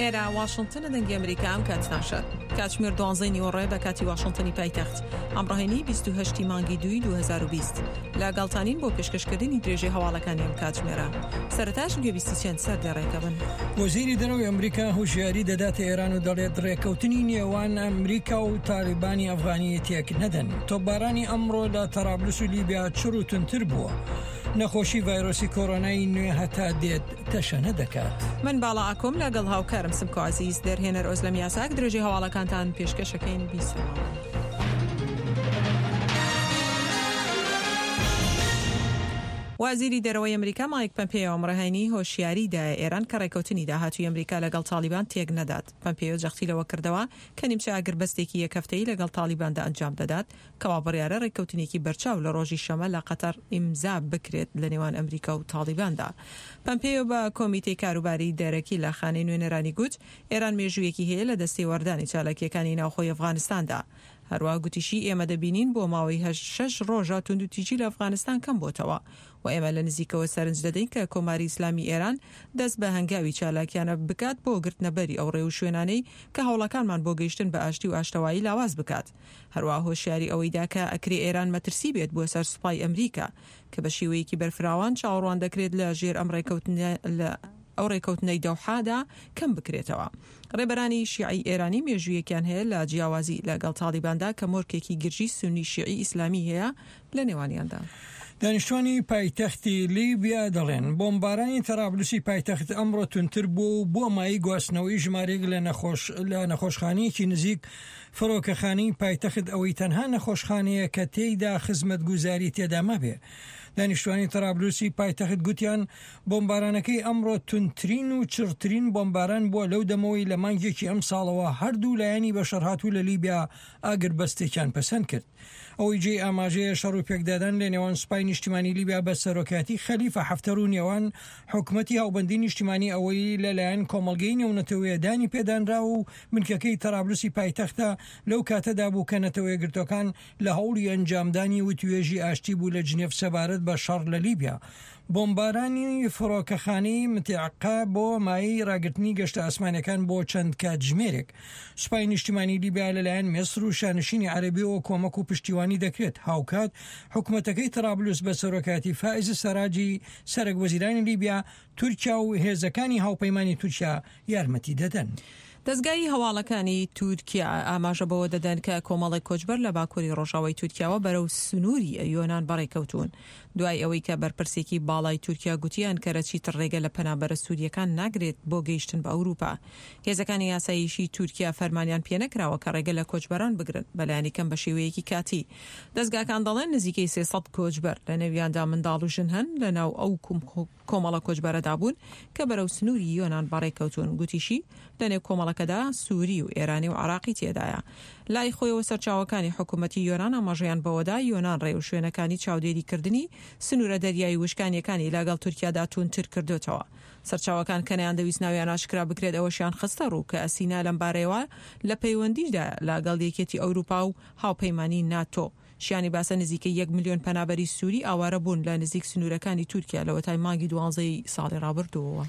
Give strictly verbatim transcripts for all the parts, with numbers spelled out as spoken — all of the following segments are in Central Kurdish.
ئێرە واشنتنە، دەنگی ئەمریکا. ئەم کاتتان شاد. کاتژمێر دوانزەی نیوەڕۆیە بە کاتی واشنتنی پایتەخت. ئەمڕۆ هەینی بیست و هەشت ی مانگی دووی دوو هەزار و بیست. لەگەڵتانین بۆ پێشکەشکردنی درێژەی هەواڵەکانی ئەم کاتژمێرە. سەرەتاش گوێبیستی چەند سەردێڕێکە بن. وەزیری دەرەوەی ئەمریکا هۆشیاری دەداتە ئێران و دەڵێت ڕێککەوتنی نێوان ئەمریکا و تالیبانی ئەفغانی تێک نەدەن. تۆپبارانی ئەمڕۆ لە تەرابلس و لیبیا چڕ و توندتر بووە. نەخۆشی ڤایرۆسی کۆرۆنای نوێ هەتا دێت تەشەنە دەکات. من باڵا ئاکۆم لەگەڵ هاوکارم سمکۆ عەزیز، دەرهێنەر ئۆزلەم یاساک، درێژەی هەواڵەکانتان پێشکەشەکەین. بیسەرماوە. وەزیری دەرەوەی ئەمریکا مایک پەمپێیۆ ئەمڕۆ هەینی هۆشیاری دایە ئێران کە ڕێککەوتنی داهاتووی ئەمریکا لەگەڵ تاڵیبان تێک نەدات. پەمپێیۆ جەختی لەوە کردەوە کە نیمچە ئاگربەستێکی یەک هەفتەیی لەگەڵ تاڵیباندا ئەنجام دەدات، کەوا بڕیارە ڕێککەوتنێکی بەرچاو لە ڕۆژی شەمە لە قەتەر ئیمزا بکرێت لە نێوان ئەمریکا و تاڵیباندا. پەمپێیۆ بە کۆمیتەی کاروباری دەرەکی لە خانەی نوێنەرانی گوت، ئێران مێژوویەکی هەیە لە دەستێوەردانی چالاکییەکانی ناوخۆی ئەفغانستاندا. هەروەها گوتیشی، ئێمە دەبینین بۆ ماوەی هەشت شەش ڕۆژە توندوتیژی لە ئەفغانستان کەم بۆتەوە و ئێمە لە نزیکەوە سەرنج دەدەین کە کۆماری ئیسلامی ئێران دەست بە هەنگاوی چالاکیانە بکات بۆ گرتنەبەری ئەو ڕێوشوێنانەی کە هەوڵەکانمان بۆ گەیشتن بە ئاشتی و ئاشتەوایی لاواز بکات. هەروەها هۆشیاری ئەوەی دا کە ئەکرێ ئێران مەترسی بێت بۆ سەر سوپای ئەمریکا کە بە شێوەیەکی بەرفراوان چاوەڕوان دەکرێت لە ژێر ئەم ڕێکەوتنە لە ئەو ڕێکەوتنەی دەوحادا کەم بکرێتەوە. ڕێبەرانی شیعەی ئێرانی مێژوویەکیان هەیە لە جیاوازی لەگەڵ تاڵیباندا کە مۆرکێکی گرژی سوننی شیعی ئیسلامی هەیە لە نێوانیاندا. دانیشتوانی پایتەختی لیبیا دەڵێن، بۆمبارانی تەرابلوسی پایتەخت ئەمڕۆ توندتر بووە و بووە مایەی گواستنەوەی ژمارەیەک لە نەخۆش لە نەخۆشخانەیەکی نزیک فڕۆکەخانەی پایتەخت، ئەوەی تەنها نەخۆشخانەیە کە تێیدا خزمەتگوزاری تێدا مابێ. دانیشتوانی تەرابلوسی پایتەخت گوتیان، بۆمبارانەکەی ئەمڕۆ توندترین و چڕترین بۆمباران بووە لەو دەمەوەی لە مانگێکی ئەمساڵەوە هەردوو لایەنی بەشەڕهاتوو لە لیبیا ئاگربەستێکیان پەسەند کرد. ئەوەی جێی ئاماژەیە شەڕ و پێکدادان لە نێوان سوپای نیشتیمانی لیبیا بە سەرۆکایەتی خەلیفە حەفتەر و نێوان حکومەتی هاوبەندی نیشتیمانی ئەوەی لەلایەن کۆمەڵگەی نێونەتەوەیە دانی پێدانراوە و بنکەکەی تەرابلوسی پایتەختە لەو کاتەدا بوو کە نەتەوەیەکگرتووەکان لە هەوڵی ئەنجامدانی وتوێژی ئاشتی بوو لە جنێف سەبارەت بە شەڕ لە لیبیا. بۆمبارانی فڕۆکەخانەی متعقە بۆ مایەی ڕاگرتنی گەشتە ئاسمانیەکان بۆ چەند کاتژمێرێک. سوپای نیشتیمانی لیبیا لەلایەن میسر و شانشینی عەرەبیەوە کۆمەک و پشتیوانی دەکرێت. هاوکات حکومەتەکەی تەرابلوس بە سەرۆکایەتی فائز سەراجی سەرەک وەزیرانی لیبیا، تورکیا و هێزەکانی هاوپەیمانی تورکیا یارمەتی دەدەن. دەزگای هەواڵەکانی تورکیا ئاماژە بەوە دەدەن کە کۆمەڵێک کۆچبەر لە باکووری ڕۆژاوای تورکیاوە بەرەو سنووری یۆنان بەڕێکەوتوون دوای ئەوەی کە بەرپرسێکی باڵای تورکیا گوتی ئەنکەرە چیتر ڕێگە لە پەنابەرە سوورییەکان ناگرێت بۆ گەیشتن بە ئەوروپا. هێزەکانی ئاسایشی تورکیا فەرمانیان پێنەکراوە کە ڕێگە لە کۆچبەران بگرن، بەلایەنی کەم بە شێوەیەکی کاتی. دەزگاکان دەڵێن نزیکەی سێ سەد کۆچبەر، لەنێویاندا منداڵ و ژن هەن، لەناو ئەو کۆمەڵە کۆچبەرەدا بوون کە بەرەو سنووری یۆنان بەڕێکەوتوون. گوتیشی، لەنێو کۆمەڵەکەدا سووری و ئێرانی و عێراقی تێدایە. لای خۆیەوە سەرچاوەکانی حکومەتی یۆنان ئاماژەیان بەوەدا، یۆنان ڕێوشوێنەکانی چاودێریکردنی سنوورە دەریایی وشکانییەکانی لەگەڵ تورکیادا تووندتر کردۆتەوە. سەرچاوەکان کە نەیاندەویست ناویان ئاشکرا بکرێت ئەوەشیان خستە ڕوو کە ئەسینا لەمبارەیەوە لە پەیوەندیدایە لەگەڵ یەکێتی ئەوروپا و هاوپەیمانی ناتۆ. شیانی باسە نزیکەی یەک ملیۆن پەنابەری سووری ئاوارە بوون لە نزیک سنوورەکانی تورکیا لەوەتای مانگی دوانزەی ساڵی ڕابردووەوە.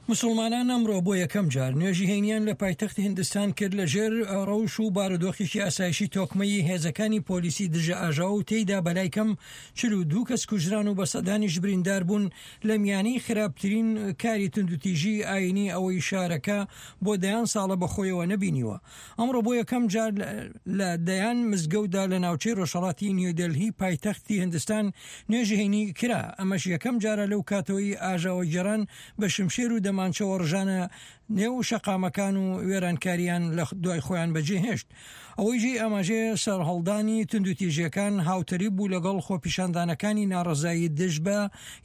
موسڵمانان ئەمڕۆ بۆ یەکەم جار نوێژی هەینیان لە پایتەختی هندستان کرد لە ژێر ڕەوش و بارودۆخێکی ئاسایشی تۆکمەی هێزەکانی پۆلیسی دژە ئاژاوە و تێیدا بەلای کەم چل و دوو کەس کوژران و بە سەدانیش بریندار بوون لە میانەی خراپترین کاری توندوتیژی ئاینی ئەوەی شارەکە بۆ دەیان ساڵە بەخۆیەوە نەبینیوە. ئەمڕۆ بۆ یەکەم جار لە دەیان مزگەوتدا لە ناوچەی ڕۆژهەڵاتی نیودەلهی پایتەختی هندستان نوێژی هەینی کرا، ئەمەش یەکەم جارە لەو کاتەوەی ئاژاوەگێڕان بە شمشێر و دەمانچەوە ڕژانە نێو شەقامەکان و وێرانکاریان لە دوای خۆیان بەجێهێشت. ئەوەی جێی ئاماژەیە سەرهەڵدانی توندوتیژیەکان هاوتەریب بوو لەگەڵ خۆپیشاندانەکانی ناڕەزایی دژ بە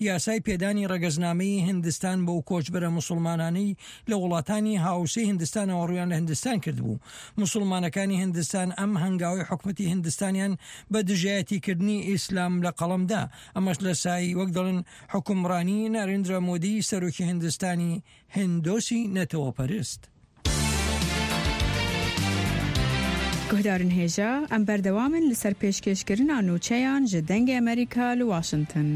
یاسای پێدانی ڕەگەزنامەی هندستان بەو کۆچبەرە موسڵمانانەی لە وڵاتانی هاوسێی هندستانەوە ڕوویان لە هندستان کردبوو. موسڵمانەکانی هندستان ئەم هەنگاوەی حکومەتی هندستانیان بە دژایەتیکردنی ئیسلام لە قەڵەمدا، ئەمەش لە سایەی وەک دەڵێن حوکمڕانی نارێندرا مۆدی سەرۆکی هندستانی هندۆسی نەتەوەپەرست. گوهدارن هێژا، ئەم بەردەوامن لەسەر پێشکێشکردنا نوچەیان ژ دەنگێ ئەمریکا لە واشنتن.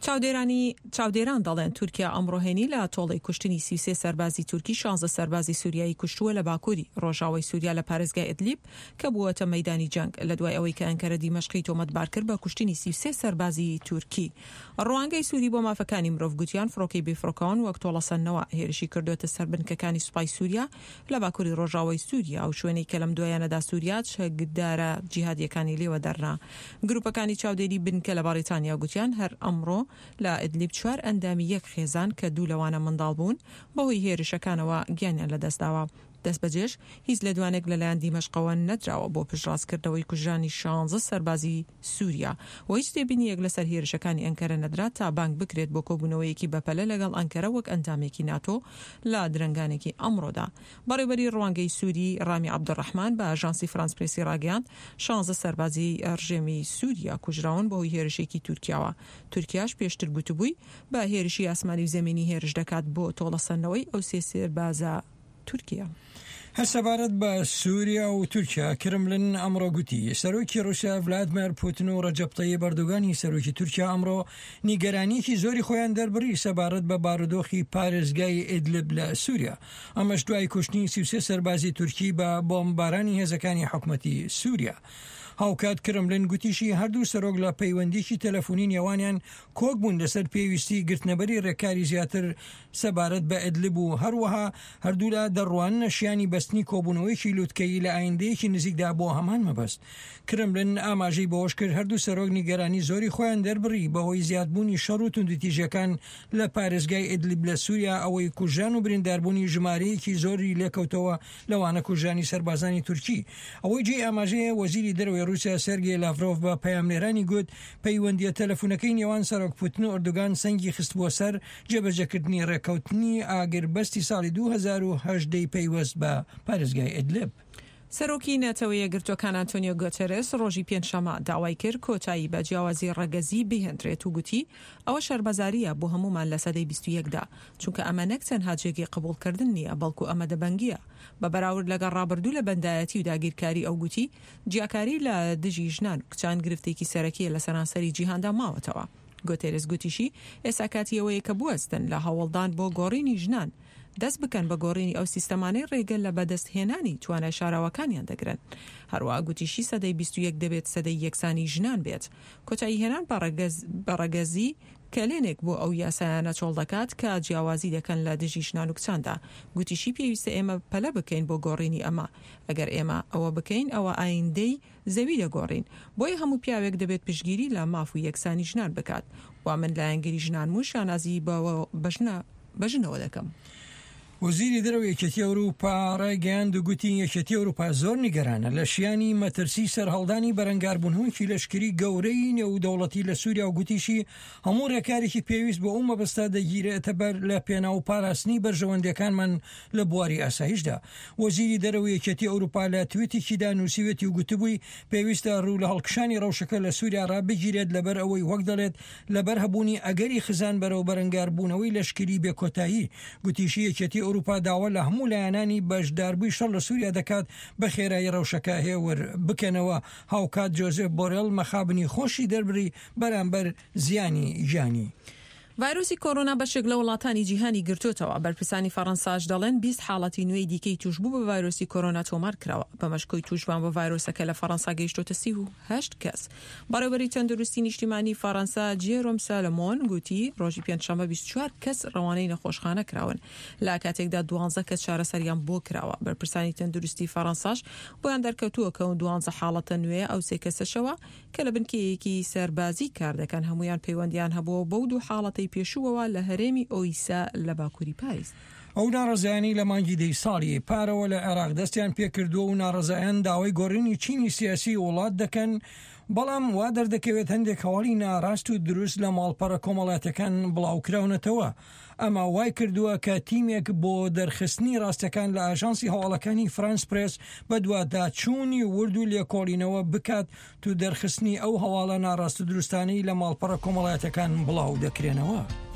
چاودێرانی چاودێران دەڵێن تورکیا ئەمڕۆ هەینی لە تۆڵەی کوشتنی سی و سێ سەربازی تورکی شانزە سەربازی سووریایی کوشتووە لە باکووری ڕۆژاوای سووریا لە پارێزگای ئیدلیب کە بووەتە مەیدانی جەنگ لە دوای ئەوەی کە ئەنکەرە دیمەشقی تۆمەتبار کرد بە کوشتنی سی و سێ سەربازی تورکی. ڕوانگەی سووری بۆ مافەکانی مرۆڤ گوتیان فڕۆکەی بێفڕۆکەوان وەک تۆڵەسەندنەوە هێرشی کردووەتە سەر بنکەکانی سوپای سووریا لە باکووری ڕۆژاوای سووریا و شوێنەی کە لەم دوایانەدا سووریا چەکدارە جیهادیەکانی لێوە دەرنا. گروپەکانی چاودێری بنکە لە بەریتانیا گوتیان هەر ئەمڕۆ لە ئیدلیب چوار ئەندامی یەک خێزان کە دوو لەوانە منداڵ بوون بەهۆی هێرشەکانەوە گیانیان لەدەستداوە. دەستبەجێش هیچ لێدوانێک لەلایەن دیمەشقەوە نەدراوە بۆ پشتڕاستکردنەوەی کوژرانی شانزە سەربازی سووریا و هیچ تێبینییەک لەسەر هێرشەکانی ئەنکەرە نەدرا تا بانگ بکرێت بۆ کۆبوونەوەیەکی بەپەلە لەگەڵ ئەنکەرە وەک ئەندامێکی ناتۆ لە درەنگانێکی ئەمڕۆدا. بەڕێوەبەری ڕوانگەی سووری ڕامی عەبدولڕەحمان بە ئاژانسی فرانس پرێسی ڕاگەیاند شانزە سەربازی ڕژێمی سووریا کوژراون بەهۆی هێرشێکی تورکیاوە. تورکیاش پێشتر گوتبووی بە هێرشی ئاسمانی و زەمینی هێرش دەکات بۆ تۆڵەسەندنەوەی ئەو سێ سەربازە تورکیا. هەر سەبارەت بە سووریا و تورکیا، کرملن ئەمڕۆ گوتی سەرۆکی ڕوسیا ڤلادیمێر پوتن و ڕەجەب تەیب ئەردۆگانی سەرۆکی تورکیا ئەمڕۆ نیگەرانیەکی زۆری خۆیان دەربڕی سەبارەت بە بارودۆخی پارێزگای ئیدلب لە سووریا، ئەمەش دوای کوشتنی سی و سێ سەربازی تورکی بە بۆمبارانی هێزەکانی حکومەتی سووریا. هاوکات کرملن گوتیشی هەردوو سەرۆک لە پەیوەندیکی تەلەفۆنی نێوانیان کۆک بوون لەسەر پێویستی گرتنەبەری ڕێکاری زیاتر سەبارەت بە ئیدلب و هەروەها هەردوولا دەڕواننە شیانی بەستنی کۆبوونەوەیەکی لوتکەیی لە ئایندەیەکی نزیکدا بۆ هەمان مەبەست. کرملن ئاماژەی بەوەش کرد هەردوو سەرۆک نیگەرانی زۆری خۆیان دەربڕی بەهۆی زیادبوونی شەڕ و توندوتیژیەکان لە پارێزگای ئیدلب لە سووریا، ئەوەی کوژران و برینداربوونی ژمارەیەکی زۆری لێکەوتەوە لەوانە کوژرانی سەربازانی تورکی. ئەوەی جێی ئاماژەیە وەزیری دەرەوەی ڕووسیا سێرگی لاڤرۆف بە پەیامنێرانی گوت پەیوەندیە تەلەفۆنەکەی نێوان سەرۆک پوتن و ئەردۆگان سەنگی خستبووە سەر جێبەجێکردنی ڕێککەوتنی ئاگربەستی ساڵی دوو هەزار و هەژدە پەیوەست بە پارێزگای ئیدلب. سەرۆکی نەتەوە یەکگرتووەکان ئەنتۆنیۆ گۆتێرێس ڕۆژی پێنجشەممە داوای کرد کۆتایی بە جیاوازی ڕەگەزی بهێنرێت و گوتی ئەوە شەرمەزارییە بۆ هەمومان لە سەدەی بیست و یەکدا، چونکە ئەمە نەک تەنها جێگەی قبوڵکردن نییە بەڵکو ئەمە دەبەنگیە بە بەراورد لەگەڵ ڕابردوو لە بەندایەتی و داگیرکاری. ئەو گوتی جیاکاری لە دژی ژنان و کچان گرفتێکی سەرەکیە لە سەرانسەری جیهاندا ماوەتەوە. گۆتێرێس گوتیشی ئێستا کاتی ئەوەیە کە بوەستن لە هەوڵدان بۆ گۆڕینی ژنان، دەست بکەن بە گۆڕینی ئەو سیستەمانەی ڕێگە لە بەدەستهێنانی توانای شاراوەکانیان دەگرن. هەروەها گوتیشی سەدەی بیست و یەک دەبێت سەدەی یەکسانی ژنان بێت. کۆتایی هێنان بە ڕەگەزی کەلێنێک بۆ ئەو یاسایانە چۆڵ دەکات کە جیاوازی دەکەن لە دژی ژنان و کچاندا. گوتیشی پێویستە ئێمە پەلە بکەین بۆ گۆڕینی ئەمە. ئەگەر ئێمە ئەوە بکەین ئەوە ئایندەی زەوی دەگۆڕین. بۆیە هەموو پیاوێک دەبێت پشتگیری لە ماف و یەکسانی ژنان بکات. و من لایەنگیری ژنانم و شانازی بە ژنەوە دەکەم. وەزیری دەرەوەی یەکێتی ئەوروپا ڕایگەیاند و گوتی یەکێتی ئەوروپا زۆر نیگەرانە لە شیانی مەترسی سەرهەڵدانی بەرەنگاربوونەوەیەکی لەشکری گەورەی نێودەوڵەتی لە سووریا و گوتیشی هەموو ڕێکارێکی پێویست بۆ ئەو مەبەستە دەگیرێتە بەر لە پێناو پاراستنی بەرژەوەندیەکانمان لە بواری ئاسایشدا. وەزیری دەرەوەی یەکێتی ئەوروپا لە تویتێکیدا نووسیوێتی و گوتبووی پێویستە ڕوو لە هەڵکشانی ڕەوشەکە لە سووریا ڕابگیرێت لەبەر ئەوەی وەک دەڵێت لەبەر هەبوونی ئەگەری خزان بەرەو بەرەنگاربوونەوەی لەشکری بێکۆتایی. گوتیشی یەکێتی ئەوروپا داوا لە هەموو لایەنانی بەشداربووی شەڕ لە سووریا دەکات بە خێرایی ڕەوشەکە هێور بکەنەوە. هاوکات جۆزێف بۆرێل مەخابنی خۆشی دەربڕی بەرامبەر زیانی گیانی. ڤایرۆسی کۆرۆنا بەشێک لە وڵاتانی جیهانی گرتوتەوە. بەرپرسانی فەڕەنساش دەڵێن بیست حاڵەتی نوێی دیکەی توشبوو بە ڤایرۆسی کۆرۆنا تۆمار کراوە. بەمەش کۆی توشبووان بە ڤایرۆسەکە لە فەڕەنسا گەیشتۆتە سی و هەشت کەس. بەڕێوەبەری تەندروستی نیشتیمانی فەڕەنسا جێرۆم سالمۆن گوتی ڕۆژی پێنجشەممە بیست و چوار کەس ڕەوانەی نەخۆشخانە کراون، لە کاتێکدا دوانزە کەس چارەسەریان بۆ کراوە. بەرپرسانی تەندروستی فەڕەنساش بۆیان دەرکەوتووە کە دوانزە حاڵەتە نوێ ئەو سێ کەسەشەوە کە لە بنکەیەکی سەربازی کار دەکەن هەمویان پەیوەندیان هەبووە بەو دوو حاڵەتەی پێشووەوە لە هەرێمی ئۆیسا لە باکووری پاریس. ئەو ناڕەزایانی لە مانگی دەی ساڵی پارەوە لە عێراق دەستیان پێکردووە و ناڕەزایان داوای گۆڕینی چینی سیاسی وڵات دەکەن، بەڵام وا دەردەکەوێت هەندێک هەواڵی ناڕاست و دروست لە ماڵپەڕە کۆمەڵاتەکان بڵاوکراونەتەوە. ئەمە وای کردووە کە تیمێک بۆ دەرخستنی ڕاستەکان لە ئاژانسی هەواڵەکانی فرانس پرێس بەدواداچوونی ورد و لێکۆڵینەوە بکات تو دەرخستنی ئەو هەواڵە ناڕاست و دروستانەی لە ماڵپەڕە کۆمەڵاتەکان بڵاو دەکرێنەوە.